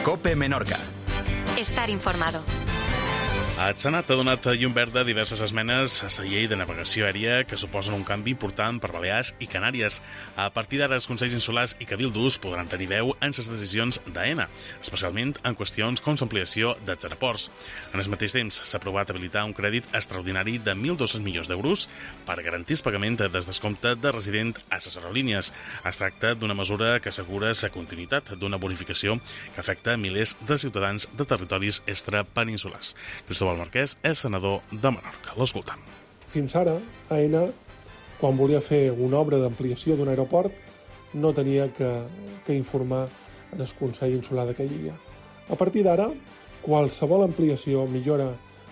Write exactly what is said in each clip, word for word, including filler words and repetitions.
COPE Menorca. Estar informado. El Senat ha donat llum verda a diverses esmenes a la llei de navegació aèria que suposen un canvi important per Balears i Canàries. A partir d'ara, els Consells Insulars i Cabildos podran tenir veu en les decisions d'AENA, especialment en qüestions com l'ampliació dels aeroports. En el mateix temps, s'ha aprovat habilitar un crèdit extraordinari de mil dos-cents milions d'euros per garantir el pagament del descompte de resident a les aerolínies. Es tracta d'una mesura que assegura la continuïtat d'una bonificació que afecta milers de ciutadans de territoris extrapeninsulars. Cristóbal Marquès és senador de Menorca. L'escoltam. Fins ara, AENA, quan volia fer una obra d'ampliació d'un aeroport, no tenia que, que informar en el Consell Insular de que hi havia. A partir d'ara, qualsevol ampliació, millora,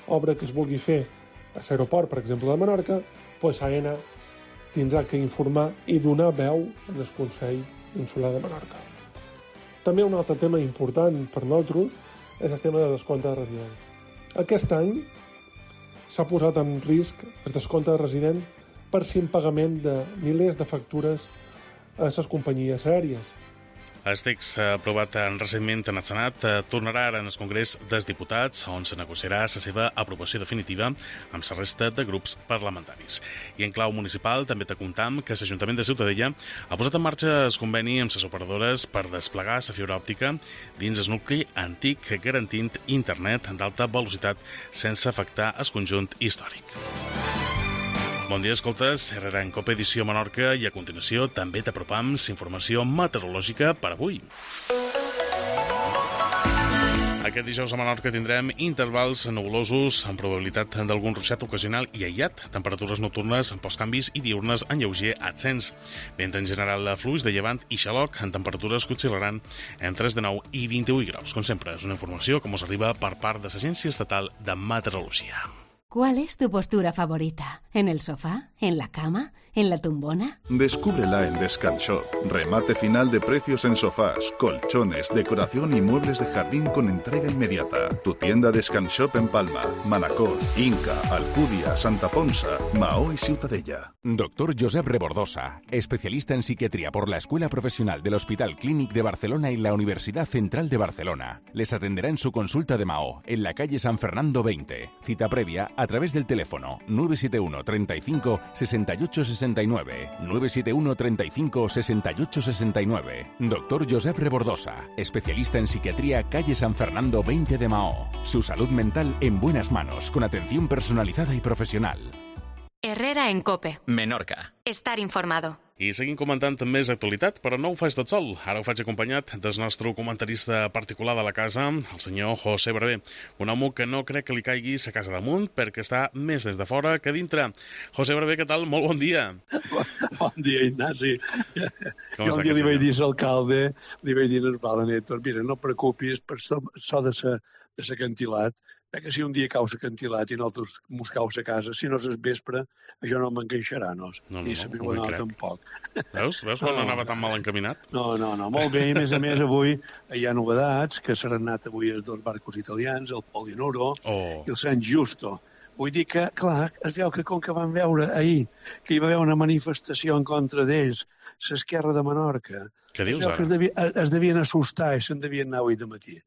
obra que es vulgui fer a l'aeroport, per exemple, de Menorca, doncs AENA tindrà que informar i donar veu en el Consell Insular de Menorca. També un altre tema important per nosaltres és el tema de descompte de resident. Aquest any s'ha posat en risc el descompte de resident per impagament de milers de factures a les companyies aèries. El text aprovat recentment en el Senat tornarà ara en el Congrés dels Diputats, on se negociarà la seva aprovació definitiva amb la resta de grups parlamentaris. I en clau municipal també te comptam que l'Ajuntament de Ciutadella ha posat en marxa el conveni amb les operadores per desplegar la fibra òptica dins el nucli antic, garantint internet d'alta velocitat sense afectar el conjunt històric. Bon dia, escoltes, Herrera en COPE Edició Menorca i a continuació també t'apropam la informació meteorològica per avui. Aquest dijous a Menorca tindrem intervals nuvolosos amb probabilitat d'algun ruixat ocasional i aïllat, temperatures nocturnes amb pocs canvis i diurnes en lleuger ascens. Vent en general fluix de llevant i xaloc en temperatures que oscil·laran entre els dinou i vint-i-vuit graus. Com sempre, és una informació que ens arriba per part de l'Agència Estatal de Meteorologia. ¿Cuál es tu postura favorita? ¿En el sofá? ¿En la cama? ¿En la tumbona? Descúbrela en Descanshop. Remate final de precios en sofás, colchones, decoración y muebles de jardín con entrega inmediata. Tu tienda Descanshop en Palma, Manacor, Inca, Alcúdia, Santa Ponsa, Maó y Ciutadella. Doctor Josep Rebordosa, especialista en psiquiatría por la Escuela Profesional del Hospital Clínic de Barcelona y la Universidad Central de Barcelona. Les atenderá en su consulta de Maó, en la calle San Fernando veinte. Cita previa a través del teléfono nueve siete uno treinta y cinco sesenta y ocho sesenta y nueve, nueve siete uno treinta y cinco sesenta y ocho sesenta y nueve. Doctor Josep Rebordosa, especialista en psiquiatría, calle San Fernando veinte de Maó. Su salud mental en buenas manos, con atención personalizada y profesional. Herrera en COPE. Menorca. Estar informado. I seguim comentant més actualitat, però no ho faig tot sol. Ara ho faig acompanyat del nostre comentarista particular de la casa, el senyor José Brevé, un home que no crec que li caigui la casa damunt perquè està més des de fora que dintre. José Brevé, què tal? Molt bon dia. Bon dia, Ignasi. Jo un dia li vaig dir a l'alcalde, li vaig dir al Val Nétor, mira, no preocupis per so de l'acantilat, que si un dia cau l'acantilat i nosaltres mos cau la casa, si no és vespre, això no m'enganxarà, no? No, no, ni la no, meva dona tampoc. Veus? Veus quan no, anava tan mal encaminat? No, no, no, molt bé. I a més a més, avui hi ha novedats, que s'han anat avui els dos barcos italians, el Polinoro oh. i el San Giusto. Vull dir que, clar, es veu que com que van veure ahir que hi va haver una manifestació en contra d'ells, l'esquerra de Menorca, Què dius, es veu que es, devia, es devien assustar i se'n devien anar avui de matí.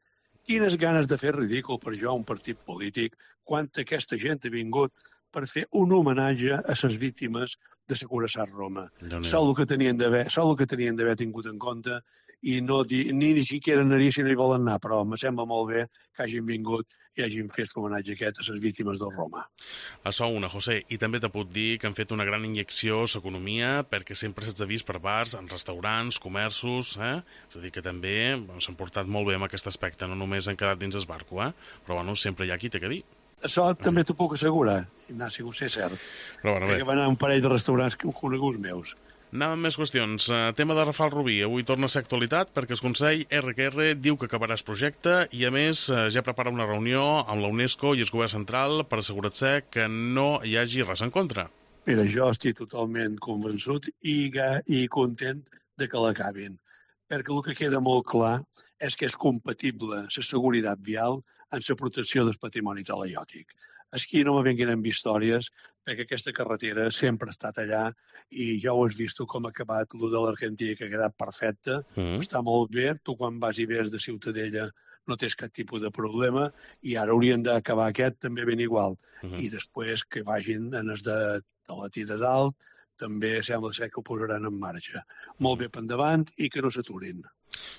Quines ganes de fer ridícul per jo un partit polític quan aquesta gent ha vingut per fer un homenatge a les víctimes de la Curaçat Roma. Sol el que tenien d'haver, sol el que tenien d'haver tingut en compte i no di, ni ni siquiera anar si no hi volen anar, però em sembla molt bé que hagin vingut i hagin fet l'homenatge aquest a les víctimes del Roma. Això una, José, i també te puc dir que han fet una gran injecció a l'economia perquè sempre s'ha vist per bars, en restaurants, comerços, eh? És a dir, que també s'han portat molt bé amb aquest aspecte, no només han quedat dins el barco, eh? Però bueno, sempre hi ha qui té que dir. Això també t'ho puc assegurar, Ignasi, ho sé cert. Però bueno, bé. Que van anar a un parell de restaurants coneguts meus. Anàvem amb més qüestions. Tema de Rafal Rubí. Avui torna a ser actualitat perquè el Consell erre que erre diu que acabarà el projecte i, a més, ja prepara una reunió amb la UNESCO i el govern central per assegurar-se que no hi hagi res en contra. Mira, jo estic totalment convençut i, i content de que l'acabin, perquè el que queda molt clar és que és compatible la seguretat vial amb la protecció del patrimoni talaiòtic. Aquí no me venguin amb històries, perquè aquesta carretera sempre ha estat allà i ja ho has vist com ha acabat el de l'Argentina, que ha quedat perfecte, mm. està molt bé. Tu quan vas i ves de Ciutadella no tens cap tipus de problema, i ara haurien d'acabar aquest també ben igual. Uh -huh. I després que vagin en els de Talatí de dalt, també sembla ser que ho posaran en marxa. Molt bé per endavant i que no s'aturin.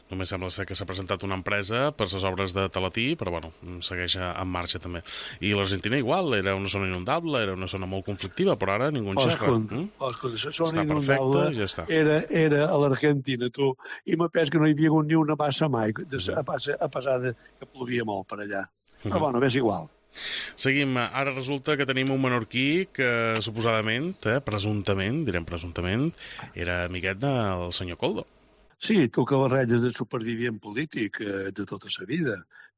Només sembla ser que s'ha presentat una empresa per les obres de Talatí, però bueno, segueix en marxa també. I l'Argentina igual, era una zona inundable, era una zona molt conflictiva, però ara ningú en xerra. Mm? Escolta, la zona està inundable perfecte, ja està. Era, era a l'Argentina, tu, i m'ha pes que no hi havia hagut ni una bassa mai, de, a, a pesar de que plovia molt per allà. Però bueno, és igual. Seguim. Ara resulta que tenim un menorquí que suposadament, eh, presumptament, direm presumptament, era amiguet del senyor Koldo. Sí, toca les ratlles de supervivient polític eh, de tota la vida,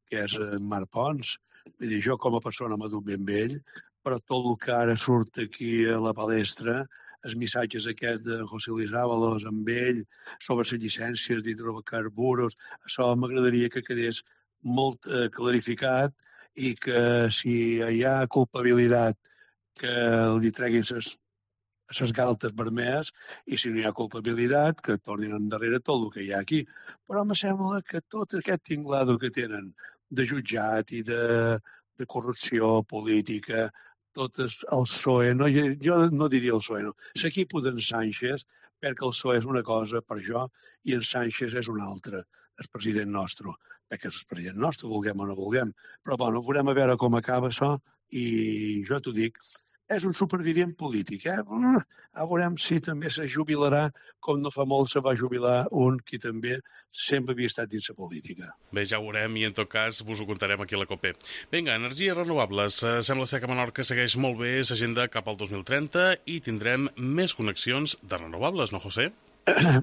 que és en Marc Pons. Vull dir, jo com a persona m'ha dut ben vell, però tot el que ara surt aquí a la palestra, els missatges aquests de José Luis Ábalos amb ell sobre les llicències d'hidrocarburs, això m'agradaria que quedés molt eh, clarificat i que si hi ha culpabilitat que li treguin les les galtes vermelles i si no hi ha culpabilitat que tornin endarrere tot el que hi ha aquí. Però em sembla que tot aquest tinglado que tenen de jutjat i de, de corrupció política, tot el P S O E, no, jo no diria el P S O E, no, l'equip d'en Sánchez, perquè el P S O E és una cosa per jo i en Sánchez és una altra, el president nostre, perquè és el president nostre, vulguem o no vulguem. Però bueno, veurem a veure com acaba això i jo t'ho dic, és un supervivient polític, eh? A veurem si també se jubilarà, com no fa molt se va jubilar un que també sempre havia estat dins la política. Bé, ja ho veurem i en tot cas vos ho contarem aquí a la COPE. Vinga, energies renovables. Uh, sembla ser que Menorca segueix molt bé l'agenda cap al dos mil trenta i tindrem més connexions de renovables, no, José?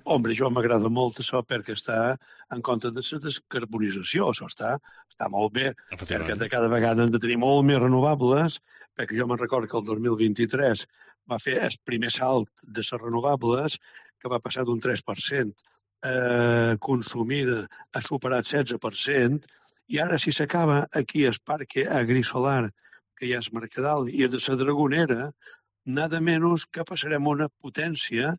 Hombre, jo m'agrada molt això perquè està en compte de la descarbonització. Això està, està molt bé, perquè de cada vegada hem de tenir molt més renovables, perquè jo me'n recordo que el dos mil vint-i-tres va fer el primer salt de les renovables, que va passar d'un tres per cent eh, consumida a superar el setze per cent, i ara si s'acaba aquí el parc agrisolar, que hi ha el Mercadal, i el de la Dragonera, nada menys que passarem una potència.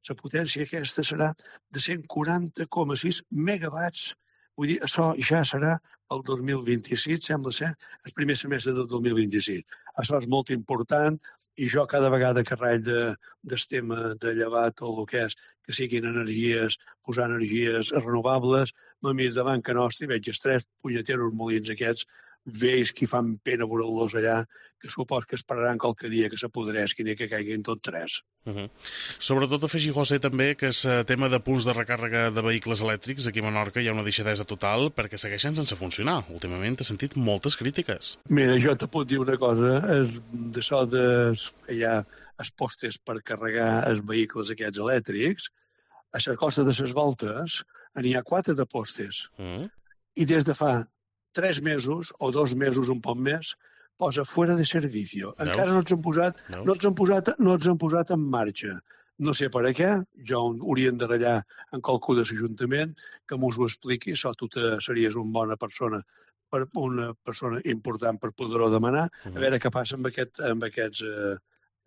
La potència aquesta serà de cent quaranta coma sis megawatts. Vull dir, això ja serà el dos mil vint-i-sis, sembla ser el primer semestre del dos mil vint-i-sis. Això és molt important i jo cada vegada que raig de, del tema de llevar tot el que és, que siguin energies, posar energies renovables, me miro davant que nostre i veig els tres punyeteros molins aquests vells que fan pena veure-los allà, que supos que esperaran qualque dia que s'apodresquin i que caiguin tots tres. Uh -huh. Sobretot afegir, José, també que el tema de punts de recàrrega de vehicles elèctrics aquí a Menorca hi ha una deixadesa total perquè segueixen sense funcionar. Últimament he sentit moltes crítiques. Mira, jo te puc dir una cosa, és d'això de, que hi ha els postes per carregar els vehicles aquests elèctrics, a la costa de les voltes n'hi ha quatre de postes. Uh -huh. I des de fa tres mesos o dos mesos, un poc més, posa fora de servicio. Veus? Encara no ens han posat, no ens han posat, no ens han posat en marxa. No sé per a què, jo haurien de ratllar en qualcú de l'Ajuntament que mos ho expliqui, això tu te series una bona persona, per una persona important per poder-ho demanar, uh-huh. A veure què passa amb, aquest, amb aquests eh,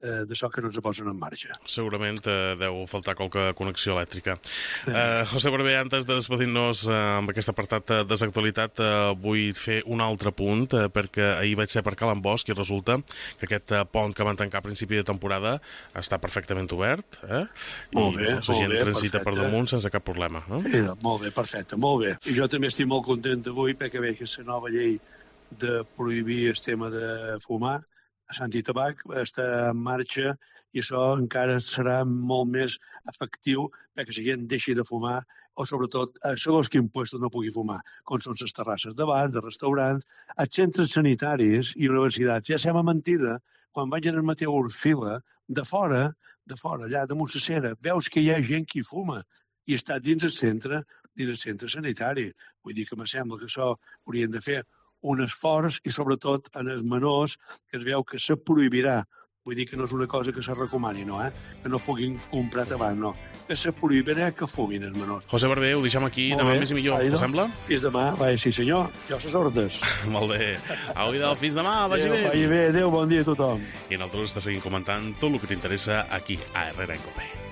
eh, d'això que no ens posen en marxa. Segurament eh, deu faltar qualque connexió elèctrica. Eh, José Barber, antes de despedir-nos eh, amb aquest apartat eh, de l'actualitat, eh, vull fer un altre punt, eh, perquè ahir vaig ser per Cal Ambosch i resulta que aquest eh, pont que van tancar a principi de temporada està perfectament obert, eh? I molt bé, la gent molt bé, transita perfecte. per damunt sense cap problema. Eh? Sí, molt bé, perfecte, molt bé. I jo també estic molt content avui perquè veig que la nova llei de prohibir el tema de fumar a Sant i Tabac està en marxa i això encara serà molt més efectiu perquè la gent deixi de fumar o sobretot a segons quin puesto no pugui fumar, com són les terrasses de bar, de restaurants, els centres sanitaris i universitats. Ja sembla mentida, quan vaig al Mateu Orfila, de fora, de fora, allà damunt la cera, veus que hi ha gent que fuma i està dins el centre, dins el centre sanitari. Vull dir que me sembla que això haurien de fer un esforç i sobretot en els menors que es veu que se prohibirà. Vull dir que no és una cosa que se recomani, no, eh? Que no puguin comprar tabac, no. Que se prohibirà que fumin els menors. José Barber, ho deixem aquí, demà més i millor, te sembla? Fins demà, vaja, sí senyor, jo ses ordres. Molt bé. Au, idò, fins demà, vagi bé. Vagi bé, adéu, bon dia a tothom. I nosaltres te seguim comentant tot el que t'interessa aquí, a Herrera en Cope.